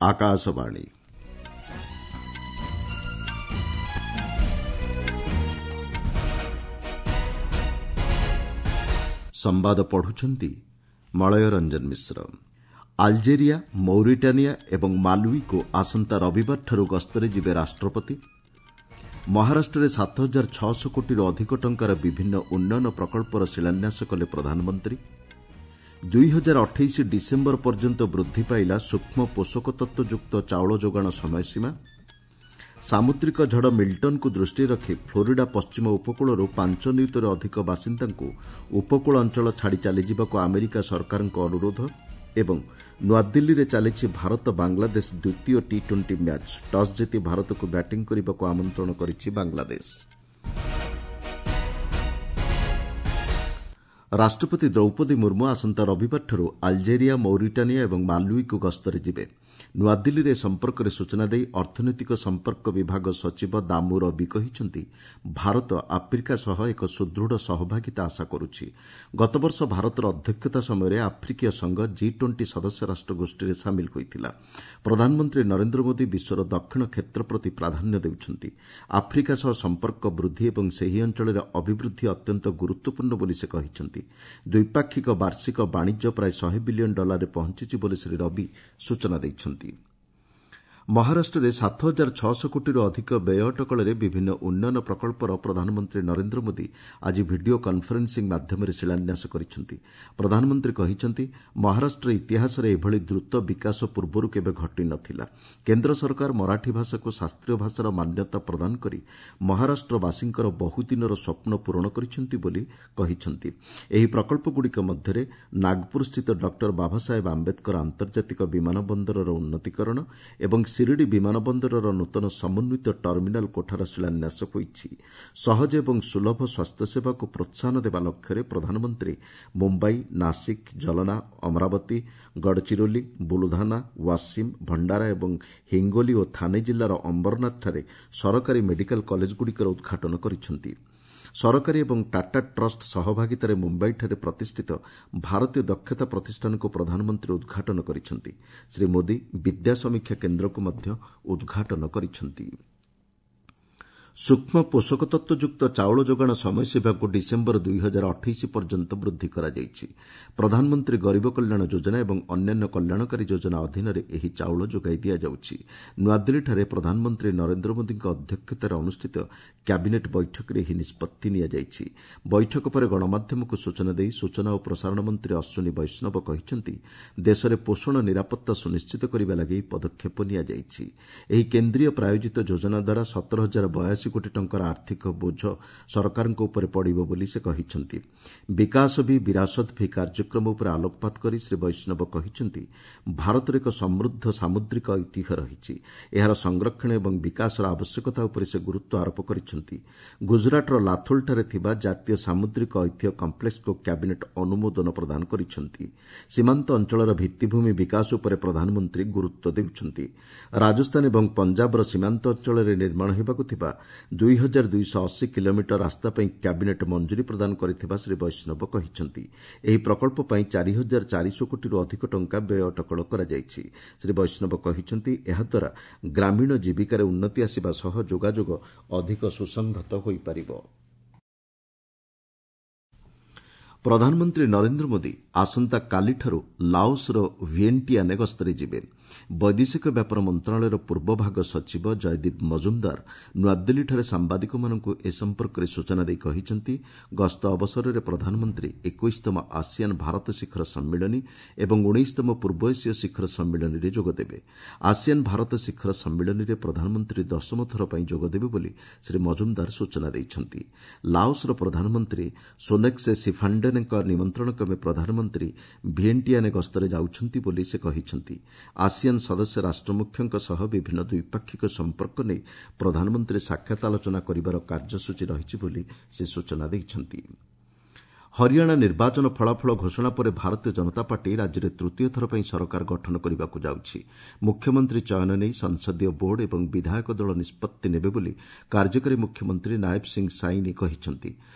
ଆକାଶବାଣୀ। ସମ୍ବାଦ ପଢୁଛନ୍ତି ମଳୟ ରଞ୍ଜନ ମିଶ୍ର। ଆଲଜେରିଆ, ମୌରିଟାନିଆ ଏବଂ ମାଲୱିକୁ ଆସନ୍ତା ରବିବାରଠାରୁ ଗସ୍ତରେ ଯିବେ ରାଷ୍ଟ୍ରପତି। ମହାରାଷ୍ଟ୍ରରେ 7600 କୋଟିରୁ ଅଧିକ ଟଙ୍କାର ବିଭିନ୍ନ ଉନ୍ନୟନ ପ୍ରକଳ୍ପର ଶିଳାନ୍ୟାସ କଲେ ପ୍ରଧାନମନ୍ତ୍ରୀ। 2028 ଡିସେମ୍ବର ପର୍ଯ୍ୟନ୍ତ ବୃଦ୍ଧି ପାଇଲା ସୂକ୍ଷ୍ମ ପୋଷକ ତତ୍ତ୍ୱଯୁକ୍ତ ଚାଉଳ ଯୋଗାଣ ସମୟସୀମା। ସାମୁଦ୍ରିକ ଝଡ଼ ମିଲ୍ଟନକୁ ଦୃଷ୍ଟିରେ ରଖି ଫ୍ଲୋରିଡା ପଶ୍ଚିମ ଉପକୂଳରୁ 5 ନିୟୁତରୁ ଅଧିକ ବାସିନ୍ଦାଙ୍କୁ ଉପକୂଳ ଅଞ୍ଚଳ ଛାଡ଼ି ଚାଲିଯିବାକୁ ଆମେରିକା ସରକାରଙ୍କ ଅନୁରୋଧ। ଏବଂ ନୂଆଦିଲ୍ଲୀରେ ଚାଲିଛି ଭାରତ ବାଂଲାଦେଶ ଦ୍ୱିତୀୟ ଟି ଟ୍ୱେଣ୍ଟି ମ୍ୟାଚ୍। ଟସ୍ ଜିତି ଭାରତକୁ ବ୍ୟାଟିଂ କରିବାକୁ ଆମନ୍ତ୍ରଣ କରିଛି ବାଂଲାଦେଶ। ରାଷ୍ଟ୍ରପତି ଦ୍ରୌପଦୀ ମୁର୍ମୁ ଆସନ୍ତା ରବିବାରଠାରୁ ଆଲଜେରିଆ, ମୌରିଟାନିଆ ଏବଂ ମାଲୱିକୁ ଗସ୍ତରେ ଯିବେ। ନୂଆଦିଲ୍ଲୀରେ ଏ ସମ୍ପର୍କରେ ସୂଚନା ଦେଇ ଅର୍ଥନୈତିକ ସମ୍ପର୍କ ବିଭାଗ ସଚିବ ଦାମୁ ରବି କହିଛନ୍ତି, ଭାରତ ଆଫ୍ରିକା ସହ ଏକ ସୁଦୃଢ଼ ସହଭାଗିତା ଆଶା କରୁଛି। ଗତବର୍ଷ ଭାରତର ଅଧ୍ୟକ୍ଷତା ସମୟରେ ଆଫ୍ରିକୀୟ ସଂଘ ଜି ଟ୍ୱେଣ୍ଟି ସଦସ୍ୟ ରାଷ୍ଟ୍ର ଗୋଷ୍ଠୀରେ ସାମିଲ ହୋଇଥିଲା। ପ୍ରଧାନମନ୍ତ୍ରୀ ନରେନ୍ଦ୍ର ମୋଦି ବିଶ୍ୱର ଦକ୍ଷିଣ କ୍ଷେତ୍ର ପ୍ରତି ପ୍ରାଧାନ୍ୟ ଦେଉଛନ୍ତି। ଆଫ୍ରିକା ସହ ସମ୍ପର୍କ ବୃଦ୍ଧି ଏବଂ ସେହି ଅଞ୍ଚଳରେ ଅଭିବୃଦ୍ଧି ଅତ୍ୟନ୍ତ ଗୁରୁତ୍ୱପୂର୍ଣ୍ଣ ବୋଲି ସେ କହିଛନ୍ତି। ଦ୍ୱିପାକ୍ଷିକ ବାର୍ଷିକ ବାଣିଜ୍ୟ ପ୍ରାୟ 100 ବିଲିୟନ ଡଲାରରେ ପହଞ୍ଚିଛି ବୋଲି ଶ୍ରୀ ରବି ସୂଚନା ଦେଇଛନ୍ତି। ମହାରାଷ୍ଟ୍ରରେ 7600 କୋଟିରୁ ଅଧିକ ବ୍ୟୟ ଅଟକଳରେ ବିଭିନ୍ନ ଉନ୍ନୟନ ପ୍ରକଳ୍ପର ପ୍ରଧାନମନ୍ତ୍ରୀ ନରେନ୍ଦ୍ର ମୋଦି ଆଜି ଭିଡିଓ କନ୍ଫରେନ୍ସିଂ ମାଧ୍ୟମରେ ଶିଳାନ୍ୟାସ କରିଛନ୍ତି। ପ୍ରଧାନମନ୍ତ୍ରୀ କହିଛନ୍ତି, ମହାରାଷ୍ଟ୍ର ଇତିହାସରେ ଏଭଳି ଦ୍ରୁତ ବିକାଶ ପୂର୍ବରୁ କେବେ ଘଟିନଥିଲା। କେନ୍ଦ୍ର ସରକାର ମରାଠୀ ଭାଷାକୁ ଶାସ୍ତ୍ରୀୟ ଭାଷାର ମାନ୍ୟତା ପ୍ରଦାନ କରି ମହାରାଷ୍ଟ୍ରବାସୀଙ୍କର ବହୁଦିନର ସ୍ୱପ୍ନ ପୂରଣ କରିଛନ୍ତି ବୋଲି କହିଛନ୍ତି। ଏହି ପ୍ରକଳ୍ପଗୁଡ଼ିକ ମଧ୍ୟରେ ନାଗପୁରସ୍ଥିତ ଡକ୍ଟର ବାବାସାହେବ ଆମ୍ବେଦକର ଆନ୍ତର୍ଜାତିକ ବିମାନ ବନ୍ଦରର ଉନ୍ନତିକରଣ ଏବଂ ଶିରିଡି ବିମାନ ବନ୍ଦରର ନୂତନ ସମନ୍ୱିତ ଟର୍ମିନାଲ କୋଠାର ଶିଳାନ୍ୟାସ ହୋଇଛି। ସହଜ ଏବଂ ସୁଲଭ ସ୍ୱାସ୍ଥ୍ୟସେବାକୁ ପ୍ରୋତ୍ସାହନ ଦେବା ଲକ୍ଷ୍ୟରେ ପ୍ରଧାନମନ୍ତ୍ରୀ ମୁମ୍ବାଇ, ନାସିକ୍, ଜଲନା, ଅମରାବତୀ, ଗଡ଼ଚିରୋଲି, ବୁଲଧାନା, ୱାସିମ୍, ଭଣ୍ଡାରା ଏବଂ ହିଙ୍ଗୋଲି ଓ ଥାନେ ଜିଲ୍ଲାର ଅମ୍ବରନାଥଠାରେ ସରକାରୀ ମେଡିକାଲ କଲେଜଗୁଡ଼ିକର ଉଦ୍ଘାଟନ କରିଛନ୍ତି। ସରକାରୀ ଏବଂ ଟାଟା ଟ୍ରଷ୍ଟ ସହଭାଗିତାରେ ମୁମ୍ବାଇଠାରେ ପ୍ରତିଷ୍ଠିତ ଭାରତୀୟ ଦକ୍ଷତା ପ୍ରତିଷ୍ଠାନକୁ ପ୍ରଧାନମନ୍ତ୍ରୀ ଉଦ୍ଘାଟନ କରିଛନ୍ତି। ଶ୍ରୀ ମୋଦି ବିଦ୍ୟା ସମୀକ୍ଷା କେନ୍ଦ୍ରକୁ ମଧ୍ୟ ଉଦ୍ଘାଟନ କରିଛନ୍ତି। ସୂକ୍ଷ୍ମ ପୋଷକ ତତ୍ତ୍ୱଯୁକ୍ତ ଚାଉଳ ଯୋଗାଣ ସମୟସୀମାକୁ ଡିସେମ୍ବର 2028 ପର୍ଯ୍ୟନ୍ତ ବୃଦ୍ଧି କରାଯାଇଛି। ପ୍ରଧାନମନ୍ତ୍ରୀ ଗରିବ କଲ୍ୟାଣ ଯୋଜନା ଏବଂ ଅନ୍ୟାନ୍ୟ କଲ୍ୟାଣକାରୀ ଯୋଜନା ଅଧୀନରେ ଏହି ଚାଉଳ ଯୋଗାଇ ଦିଆଯାଉଛି। ନୂଆଦିଲ୍ଲୀଠାରେ ପ୍ରଧାନମନ୍ତ୍ରୀ ନରେନ୍ଦ୍ର ମୋଦିଙ୍କ ଅଧ୍ୟକ୍ଷତାରେ ଅନୁଷ୍ଠିତ କ୍ୟାବିନେଟ୍ ବୈଠକରେ ଏହି ନିଷ୍ପତ୍ତି ନିଆଯାଇଛି। ବୈଠକ ପରେ ଗଣମାଧ୍ୟମକୁ ସୂଚନା ଦେଇ ସୂଚନା ଓ ପ୍ରସାରଣ ମନ୍ତ୍ରୀ ଅଶ୍ୱିନୀ ବୈଷ୍ଣବ କହିଛନ୍ତି, ଦେଶରେ ପୋଷଣ ନିରାପତ୍ତା ସୁନିଶ୍ଚିତ କରିବା ଲାଗି ଏହି ପଦକ୍ଷେପ ନିଆଯାଇଛି। ଏହି କେନ୍ଦ୍ରୀୟ ପ୍ରାୟୋଜିତ ଯୋଜନା ଦ୍ୱାରା 17,082 କୋଟି ଟଙ୍କାର ଆର୍ଥିକ ବୋଝ ସରକାରଙ୍କ ଉପରେ ପଡ଼ିବ ବୋଲି ସେ କହିଛନ୍ତି। ବିକାଶ ଭି ବିରାସତ ଭି କାର୍ଯ୍ୟକ୍ରମ ଉପରେ ଆଲୋକପାତ କରି ଶ୍ରୀ ବୈଷ୍ଣବ କହିଛନ୍ତି, ଭାରତର ଏକ ସମୃଦ୍ଧ ସାମୁଦ୍ରିକ ଐତିହ୍ୟ ରହିଛି। ଏହାର ସଂରକ୍ଷଣ ଏବଂ ବିକାଶର ଆବଶ୍ୟକତା ଉପରେ ସେ ଗୁରୁତ୍ୱ ଆରୋପ କରିଛନ୍ତି। ଗୁଜରାଟର ଲାଥୋଲଠାରେ ଥିବା ଜାତୀୟ ସାମୁଦ୍ରିକ ଐତିହ୍ୟ କମ୍ପ୍ଲେକ୍ସକୁ କ୍ୟାବିନେଟ୍ ଅନୁମୋଦନ ପ୍ରଦାନ କରିଛନ୍ତି। ସୀମାନ୍ତ ଅଞ୍ଚଳର ଭିତ୍ତିଭୂମି ବିକାଶ ଉପରେ ପ୍ରଧାନମନ୍ତ୍ରୀ ଗୁରୁତ୍ୱ ଦେଉଛନ୍ତି। ରାଜସ୍ଥାନ ଏବଂ ପଞ୍ଜାବର ସୀମାନ୍ତ ଅଞ୍ଚଳରେ ନିର୍ମାଣ ହେବାକୁ ଥିବା 2280 କିଲୋମିଟର ରାସ୍ତା ପାଇଁ କ୍ୟାବିନେଟ୍ ମଞ୍ଜୁରୀ ପ୍ରଦାନ କରିଥିବା ଶ୍ରୀ ବୈଷ୍ଣବ କହିଛନ୍ତି। ଏହି ପ୍ରକଳ୍ପ ପାଇଁ 4400 କୋଟିରୁ ଅଧିକ ଟଙ୍କା ବ୍ୟୟ ଅଟକଳ କରାଯାଇଛି। ଶ୍ରୀ ବୈଷ୍ଣବ କହିଛନ୍ତି, ଏହାଦ୍ୱାରା ଗ୍ରାମୀଣ ଜୀବିକାରେ ଉନ୍ନତି ଆସିବା ସହ ଯୋଗାଯୋଗ ଅଧିକ ସୁସଂହତ ହୋଇପାରିବ। ପ୍ରଧାନମନ୍ତ୍ରୀ ନରେନ୍ଦ୍ର ମୋଦି ଆସନ୍ତାକାଲିଠାରୁ ଲାଓସ୍ର ଭିଏଣ୍ଟିଆନେ ଗସ୍ତରେ ଯିବେ। ବୈଦେଶିକ ବ୍ୟାପାର ମନ୍ତ୍ରଣାଳୟର ପୂର୍ବଭାଗ ସଚିବ ଜୟଦୀପ ମଜୁମ୍ଦାର ନୂଆଦିଲ୍ଲୀଠାରେ ସାମ୍ବାଦିକମାନଙ୍କୁ ଏ ସମ୍ପର୍କରେ ସୂଚନା ଦେଇ କହିଛନ୍ତି, ଗସ୍ତ ଅବସରରେ ପ୍ରଧାନମନ୍ତ୍ରୀ 21ତମ ଆସିଆନ୍ ଭାରତ ଶିଖର ସମ୍ମିଳନୀ ଏବଂ 19ତମ ପୂର୍ବ ଏସୀୟ ଶିଖର ସମ୍ମିଳନୀରେ ଯୋଗଦେବେ। ଆସିଆନ୍ ଭାରତ ଶିଖର ସମ୍ମିଳନୀରେ ପ୍ରଧାନମନ୍ତ୍ରୀ ଦଶମ ଥର ପାଇଁ ଯୋଗଦେବେ ବୋଲି ଶ୍ରୀ ମଜୁମ୍ଦାର ସୂଚନା ଦେଇଛନ୍ତି। ଲାଓସ୍ର ପ୍ରଧାନମନ୍ତ୍ରୀ ସୋନେକ୍ସେ ସିଫାଣ୍ଡେନ୍ଙ୍କ ନିମନ୍ତ୍ରଣ କ୍ରମେ ପ୍ରଧାନମନ୍ତ୍ରୀ ଭିଏଣ୍ଟିଆନେ ଗସ୍ତରେ ଯାଉଛନ୍ତି ବୋଲି ସେ କହିଛନ୍ତି। ଆସିଆନ୍ ସଦସ୍ୟ ରାଷ୍ଟ୍ରମୁଖ୍ୟଙ୍କ ସହ ବିଭିନ୍ନ ଦ୍ୱିପାକ୍ଷିକ ସମ୍ପର୍କ ନେଇ ପ୍ରଧାନମନ୍ତ୍ରୀ ସାକ୍ଷାତ ଆଲୋଚନା କରିବାର କାର୍ଯ୍ୟସୂଚୀ ରହିଛି ବୋଲି ସେ ସୂଚନା ଦେଇଛନ୍ତି। ହରିୟାଣା ନିର୍ବାଚନ ଫଳାଫଳ ଘୋଷଣା ପରେ ଭାରତୀୟ ଜନତା ପାର୍ଟି ରାଜ୍ୟରେ ତୃତୀୟ ଥର ପାଇଁ ସରକାର ଗଠନ କରିବାକୁ ଯାଉଛି। ମୁଖ୍ୟମନ୍ତ୍ରୀ ଚୟନ ନେଇ ସଂସଦୀୟ ବୋର୍ଡ ଏବଂ ବିଧାୟକ ଦଳ ନିଷ୍ପତ୍ତି ନେବେ ବୋଲି କାର୍ଯ୍ୟକାରୀ ମୁଖ୍ୟମନ୍ତ୍ରୀ ନାୟବ ସିଂ ସାଇନି କହିଛନ୍ତି।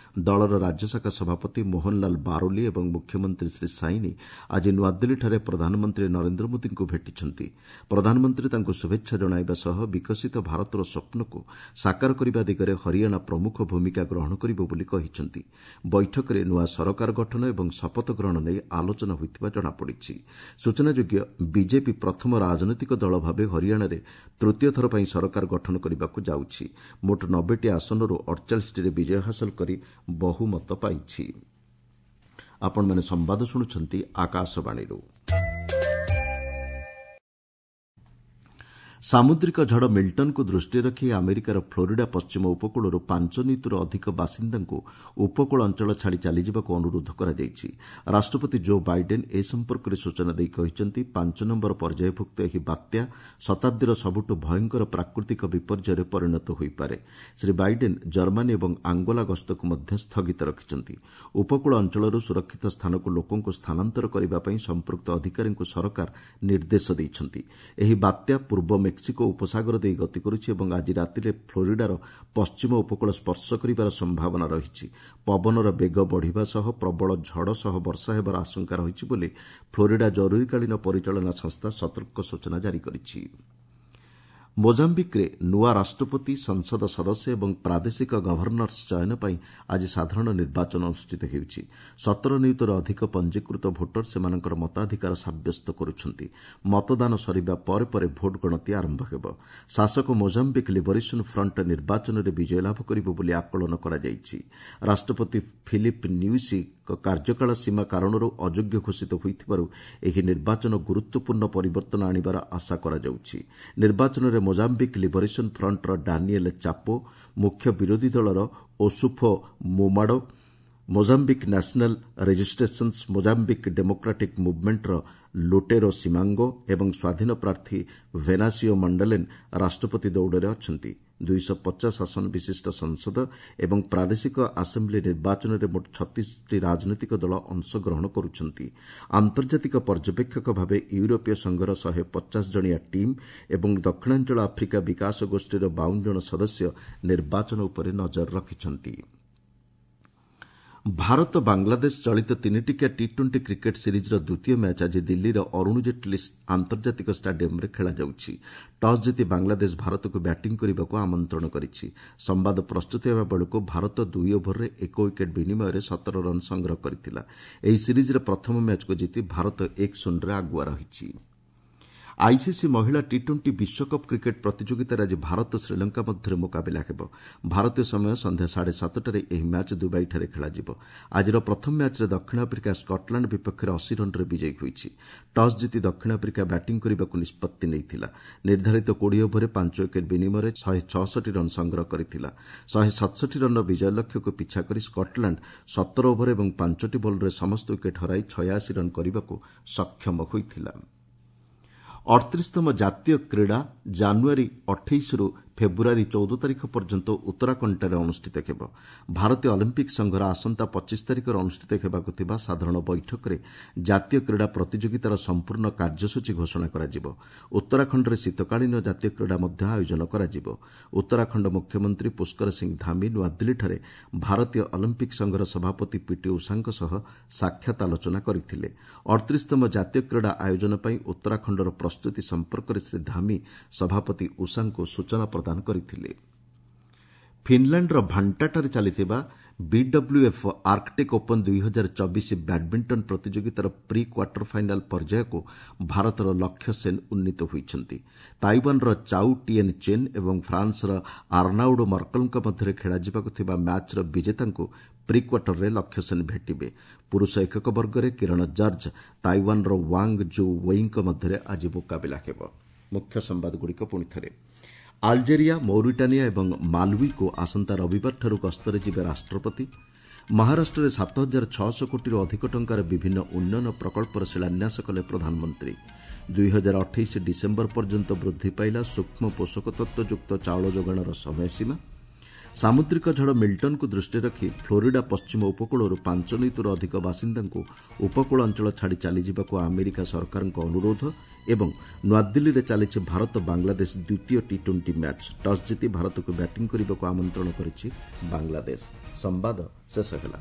ଦଳର ରାଜ୍ୟଶାଖା ସଭାପତି ମୋହନଲାଲ ବାରୋଲି ଏବଂ ମୁଖ୍ୟମନ୍ତ୍ରୀ ଶ୍ରୀ ସାଇନି ଆଜି ନୂଆଦିଲ୍ଲୀଠାରେ ପ୍ରଧାନମନ୍ତ୍ରୀ ନରେନ୍ଦ୍ର ମୋଦିଙ୍କୁ ଭେଟିଛନ୍ତି। ପ୍ରଧାନମନ୍ତ୍ରୀ ତାଙ୍କୁ ଶୁଭେଚ୍ଛା ଜଣାଇବା ସହ ବିକଶିତ ଭାରତର ସ୍ୱପ୍ନକୁ ସାକାର କରିବା ଦିଗରେ ହରିୟାଣା ପ୍ରମୁଖ ଭୂମିକା ଗ୍ରହଣ କରିବ ବୋଲି କହିଛନ୍ତି। ବୈଠକରେ ନୂଆ ସରକାର ଗଠନ ଏବଂ ଶପଥ ଗ୍ରହଣ ନେଇ ଆଲୋଚନା ହୋଇଥିବା ଜଣାପଡ଼ିଛି। ସୂଚନାଯୋଗ୍ୟ, ବିଜେପି ପ୍ରଥମ ରାଜନୈତିକ ଦଳ ଭାବେ ହରିୟାଣାରେ ତୃତୀୟ ଥର ପାଇଁ ସରକାର ଗଠନ କରିବାକୁ ଯାଉଛି। ମୋଟ 90ଟି ଆସନରୁ 48ଟିରେ ବିଜୟ ହାସଲ କରି ବହୁମତ ପାଇଛି। ଆପଣମାନେ ସମ୍ବାଦ ଶୁଣୁଛନ୍ତି ଆକାଶବାଣୀରୁ। ସାମୁଦ୍ରିକ ଝଡ଼ ମିଲ୍ଟନକୁ ଦୃଷ୍ଟିରେ ରଖି ଆମେରିକାର ଫ୍ଲୋରିଡା ପଶ୍ଚିମ ଉପକୂଳରୁ 5 ନିୟୁତରୁ ଅଧିକ ବାସିନ୍ଦାଙ୍କୁ ଉପକୂଳ ଅଞ୍ଚଳ ଛାଡ଼ି ଚାଲିଯିବାକୁ ଅନୁରୋଧ କରାଯାଇଛି। ରାଷ୍ଟ୍ରପତି ଜୋ ବାଇଡେନ୍ ଏ ସମ୍ପର୍କରେ ସୂଚନା ଦେଇ କହିଛନ୍ତି, 5 ନମ୍ବର ପର୍ଯ୍ୟାୟଭୁକ୍ତ ଏହି ବାତ୍ୟା ଶତାବ୍ଦୀର ସବୁଠୁ ଭୟଙ୍କର ପ୍ରାକୃତିକ ବିପର୍ଯ୍ୟୟରେ ପରିଣତ ହୋଇପାରେ। ଶ୍ରୀ ବାଇଡେନ୍ ଜର୍ମାନୀ ଏବଂ ଆଙ୍ଗୋଲା ଗସ୍ତକୁ ମଧ୍ୟ ସ୍ଥଗିତ ରଖିଛନ୍ତି। ଉପକୂଳ ଅଞ୍ଚଳରୁ ସୁରକ୍ଷିତ ସ୍ଥାନକୁ ଲୋକଙ୍କୁ ସ୍ଥାନାନ୍ତର କରିବା ପାଇଁ ସମ୍ପୃକ୍ତ ଅଧିକାରୀଙ୍କୁ ସରକାର ନିର୍ଦ୍ଦେଶ ଦେଇଛନ୍ତି। ଏହି ବାତ୍ୟା ପୂର୍ବ ମେକ୍ସିକୋ ଉପସାଗର ଦେଇ ଗତି କରୁଛି ଏବଂ ଆଜି ରାତିରେ ଫ୍ଲୋରିଡାର ପଶ୍ଚିମ ଉପକୂଳ ସ୍ପର୍ଶ କରିବାର ସମ୍ଭାବନା ରହିଛି। ପବନର ବେଗ ବଢ଼ିବା ସହ ପ୍ରବଳ ଝଡ଼ ସହ ବର୍ଷା ହେବାର ଆଶଙ୍କା ରହିଛି ବୋଲି ଫ୍ଲୋରିଡା ଜରୁରୀକାଳୀନ ପରିଚାଳନା ସଂସ୍ଥା ସତର୍କ ସୂଚନା ଜାରି କରିଛି। ମୋଜାମ୍ବିକ୍ରେ ନୂଆ ରାଷ୍ଟ୍ରପତି, ସଂସଦ ସଦସ୍ୟ ଏବଂ ପ୍ରାଦେଶିକ ଗଭର୍ଣ୍ଣର୍ସ ଚୟନ ପାଇଁ ଆଜି ସାଧାରଣ ନିର୍ବାଚନ ଅନୁଷ୍ଠିତ ହେଉଛି। 17 ନିୟୁତରୁ ଅଧିକ ପଞ୍ଜୀକୃତ ଭୋଟର ସେମାନଙ୍କର ମତାଧିକାର ସାବ୍ୟସ୍ତ କରୁଛନ୍ତି। ମତଦାନ ସରିବା ପରେ ପରେ ଭୋଟ ଗଣତି ଆରମ୍ଭ ହେବ। ଶାସକ ମୋଜାମ୍ବିକ୍ ଲିବରେସନ୍ ଫ୍ରଣ୍ଟ ନିର୍ବାଚନରେ ବିଜୟ ଲାଭ କରିବ ବୋଲି ଆକଳନ କରାଯାଇଛି। ରାଷ୍ଟ୍ରପତି ଫିଲିପ୍ ନ୍ୟୁସିଙ୍କ କାର୍ଯ୍ୟକାଳ ସୀମା କାରଣରୁ ଅଯୋଗ୍ୟ ଘୋଷିତ ହୋଇଥିବାରୁ ଏହି ନିର୍ବାଚନ ଗୁରୁତ୍ୱପୂର୍ଣ୍ଣ ପରିବର୍ତ୍ତନ ଆଣିବାର ଆଶା କରାଯାଉଛି। ନିର୍ବାଚନରେ ମୋଜାମ୍ବିକ୍ ଲିବରେସନ୍ ଫ୍ରଣ୍ଟର ଡାନିଏଲ୍ ଚାପୋ, ମୁଖ୍ୟ ବିରୋଧୀ ଦଳର Ossufo Momade, Mozambique National Resistance Mozambique Democratic ମୁଭମେଣ୍ଟର ଲୋଟେରୋ ସିମାଙ୍ଗୋ ଏବଂ ସ୍ୱାଧୀନ ପ୍ରାର୍ଥୀ ଭେନାସିଓ ମଣ୍ଡଲେନ୍ ରାଷ୍ଟ୍ରପତି ଦୌଡ଼ରେ ଅଛନ୍ତି। 250 ଆସନ ବିଶିଷ୍ଟ ସଂସଦ ଏବଂ ପ୍ରାଦେଶିକ ଆସେମ୍ବ୍ଲି ନିର୍ବାଚନରେ ମୋଟ 36ଟି ରାଜନୈତିକ ଦଳ ଅଂଶଗ୍ରହଣ କରୁଛନ୍ତି। ଆନ୍ତର୍ଜାତିକ ପର୍ଯ୍ୟବେକ୍ଷକ ଭାବେ ୟୁରୋପୀୟ ସଂଘର 150 ଜଣିଆ ଟିମ୍ ଏବଂ ଦକ୍ଷିଣାଞ୍ଚଳ ଆଫ୍ରିକା ବିକାଶ ଗୋଷ୍ଠୀର 52 ଜଣ ସଦସ୍ୟ ନିର୍ବାଚନ ଉପରେ ନଜର ରଖିଛନ୍ତି। ଭାରତ ବାଂଲାଦେଶ ଚଳିତ ତିନିଟିକିଆ ଟି ଟ୍ୱେଣ୍ଟି କ୍ରିକେଟ୍ ସିରିଜ୍ର ଦ୍ୱିତୀୟ ମ୍ୟାଚ୍ ଆଜି ଦିଲ୍ଲୀର ଅରୁଣ ଜେଟ୍ଲୀ ଆନ୍ତର୍ଜାତିକ ଷ୍ଟାଡିୟମ୍ରେ ଖେଳାଯାଉଛି। ଟସ୍ ଜିତି ବାଂଲାଦେଶ ଭାରତକୁ ବ୍ୟାଟିଂ କରିବାକୁ ଆମନ୍ତ୍ରଣ କରିଛି। ସମ୍ବାଦ ପ୍ରସ୍ତୁତ ହେବା ବେଳକୁ ଭାରତ 2 ଓଭରରେ 1 ୱିକେଟ୍ ବିନିମୟରେ 17 ରନ୍ ସଂଗ୍ରହ କରିଥିଲା। ଏହି ସିରିଜ୍ର ପ୍ରଥମ ମ୍ୟାଚ୍କୁ ଜିତି ଭାରତ 1-0ରେ ଆଗୁଆ ରହିଛି। ଆଇସିସି ମହିଳା ଟି ଟ୍ୱେଣ୍ଟି ବିଶ୍ୱକପ୍ କ୍ରିକେଟ୍ ପ୍ରତିଯୋଗିତାରେ ଆଜି ଭାରତ ଶ୍ରୀଲଙ୍କା ମଧ୍ୟରେ ମୁକାବିଲା ହେବ। ଭାରତୀୟ ସମୟ ସନ୍ଧ୍ୟା 7:30ରେ ଏହି ମ୍ୟାଚ୍ ଦୁବାଇଠାରେ ଖେଳାଯିବ। ଆଜିର ପ୍ରଥମ ମ୍ୟାଚ୍ରେ ଦକ୍ଷିଣ ଆଫ୍ରିକା ସ୍କଟଲାଣ୍ଡ ବିପକ୍ଷରେ 80 ରନ୍ରେ ବିଜୟୀ ହୋଇଛି। ଟସ୍ ଜିତି ଦକ୍ଷିଣ ଆଫ୍ରିକା ବ୍ୟାଟିଂ କରିବାକୁ ନିଷ୍ପତ୍ତି ନେଇଥିଲା। ନିର୍ଦ୍ଧାରିତ 20 ଓଭରରେ 5 ୱିକେଟ୍ ବିନିମୟରେ 166 ରନ୍ ସଂଗ୍ରହ କରିଥିଲା। 167 ରନ୍ର ବିଜୟ ଲକ୍ଷ୍ୟକୁ ପିଛା କରି ସ୍କଟଲାଣ୍ଡ 17 ଓଭର ଏବଂ 5ଟି ବଲ୍ରେ ସମସ୍ତ ୱିକେଟ୍ ହରାଇ 86 ରନ୍ କରିବାକୁ ସକ୍ଷମ ହୋଇଥିଲା। 38ତମ ଜାତୀୟ କ୍ରୀଡ଼ା ଜାନୁଆରୀ 28ରୁ ଫେବୃଆରୀ 14 ତାରିଖ ପର୍ଯ୍ୟନ୍ତ ଉତ୍ତରାଖଣ୍ଡଠାରେ ଅନୁଷ୍ଠିତ ହେବ। ଭାରତୀୟ ଅଲିମ୍ପିକ୍ ସଂଘର ଆସନ୍ତା 25 ତାରିଖରେ ଅନୁଷ୍ଠିତ ହେବାକୁ ଥିବା ସାଧାରଣ ବୈଠକରେ ଜାତୀୟ କ୍ରୀଡ଼ା ପ୍ରତିଯୋଗିତାର ସମ୍ପୂର୍ଣ୍ଣ କାର୍ଯ୍ୟସୂଚୀ ଘୋଷଣା କରାଯିବ। ଉତ୍ତରାଖଣ୍ଡରେ ଶୀତକାଳୀନ ଜାତୀୟ କ୍ରୀଡ଼ା ମଧ୍ୟ ଆୟୋଜନ କରାଯିବ। ଉତ୍ତରାଖଣ୍ଡ ମୁଖ୍ୟମନ୍ତ୍ରୀ ପୁଷ୍କର ସିଂ ଧାମି ନୂଆଦିଲ୍ଲୀଠାରେ ଭାରତୀୟ ଅଲିମ୍ପିକ୍ ସଂଘର ସଭାପତି ପିଟି ଉଷାଙ୍କ ସହ ସାକ୍ଷାତ ଆଲୋଚନା କରିଥିଲେ। 38ତମ ଜାତୀୟ କ୍ରୀଡ଼ା ଆୟୋଜନ ପାଇଁ ଉତ୍ତରାଖଣ୍ଡର ପ୍ରସ୍ତୁତି ସମ୍ପର୍କରେ ଶ୍ରୀ ଧାମି ସଭାପତି ଉଷାଙ୍କୁ ସୂଚନା ପ୍ରଦାନ କରିଥିଲେ। ଫିନ୍ଲାଣ୍ଡର ଭାଣ୍ଟାଠାରେ ଚାଲିଥିବା ବିଡବ୍ଲ୍ୟୁଏଫ୍ ଆର୍କଟିକ୍ ଓପନ୍ 2024 ବ୍ୟାଡ୍ମିଣ୍ଟନ ପ୍ରତିଯୋଗିତାର ପ୍ରି କ୍ୱାର୍ଟର ଫାଇନାଲ୍ ପର୍ଯ୍ୟାୟକୁ ଭାରତର ଲକ୍ଷ୍ୟ ସେନ୍ ଉନ୍ନୀତ ହୋଇଛନ୍ତି। ତାଇୱାନ୍ର ଚାଉ ଟିଏନ୍ ଚେନ୍ ଏବଂ ଫ୍ରାନ୍ସର ଆର୍ନାଉଡ୍ ମର୍କଲଙ୍କ ମଧ୍ୟରେ ଖେଳାଯିବାକୁ ଥିବା ମ୍ୟାଚ୍ର ବିଜେତାଙ୍କୁ ପ୍ରି କ୍ୱାର୍ଟରରେ ଲକ୍ଷ୍ୟ ସେନ୍ ଭେଟିବେ। ପୁରୁଷ ଏକକ ବର୍ଗରେ କିରଣ ଜର୍ଜ ତାଇୱାନ୍ର ୱାଙ୍ଗ୍ ଜୁ ୱେଇଙ୍କ ମଧ୍ୟରେ ଆଜି ମୁକାବିଲା ହେବ। ମୁଖ୍ୟ ସମ୍ବାଦଗୁଡ଼ିକ ପୁଣି ଥରେ। ଆଲଜେରିଆ, ମୌରିଟାନିଆ ଏବଂ ମାଲୱିକୁ ଆସନ୍ତା ରବିବାରଠାରୁ ଗସ୍ତରେ ଯିବେ ରାଷ୍ଟ୍ରପତି। ମହାରାଷ୍ଟ୍ରରେ 7600 କୋଟିରୁ ଅଧିକ ଟଙ୍କାର ବିଭିନ୍ନ ଉନ୍ନୟନ ପ୍ରକଳ୍ପର ଶିଳାନ୍ୟାସ କଲେ ପ୍ରଧାନମନ୍ତ୍ରୀ। 2028 ଡିସେମ୍ବର ପର୍ଯ୍ୟନ୍ତ ବୃଦ୍ଧି ପାଇଲା ସୂକ୍ଷ୍ମ ପୋଷକ ତତ୍ତ୍ୱଯୁକ୍ତ ଚାଉଳ ଯୋଗାଣର ସମୟସୀମା। ସାମୁଦ୍ରିକ ଝଡ଼ ମିଲ୍ଟନ୍କୁ ଦୃଷ୍ଟିରେ ରଖି ଫ୍ଲୋରିଡା ପଶ୍ଚିମ ଉପକୂଳରୁ 5 ନିୟୁତରୁ ଅଧିକ ବାସିନ୍ଦାଙ୍କୁ ଉପକୂଳ ଅଞ୍ଚଳ ଛାଡ଼ି ଚାଲିଯିବାକୁ ଆମେରିକା ସରକାରଙ୍କ ଅନୁରୋଧ। ଏବଂ ନୂଆଦିଲ୍ଲୀରେ ଚାଲିଛି ଭାରତ ବାଂଲାଦେଶ ଦ୍ୱିତୀୟ ଟି-20 ମ୍ୟାଚ୍। ଟସ୍ ଜିତି ଭାରତକୁ ବ୍ୟାଟିଂ କରିବାକୁ ଆମନ୍ତ୍ରଣ କରିଛି ବାଂଲାଦେଶ। ସମ୍ବାଦ ଶେଷ ହେଲା।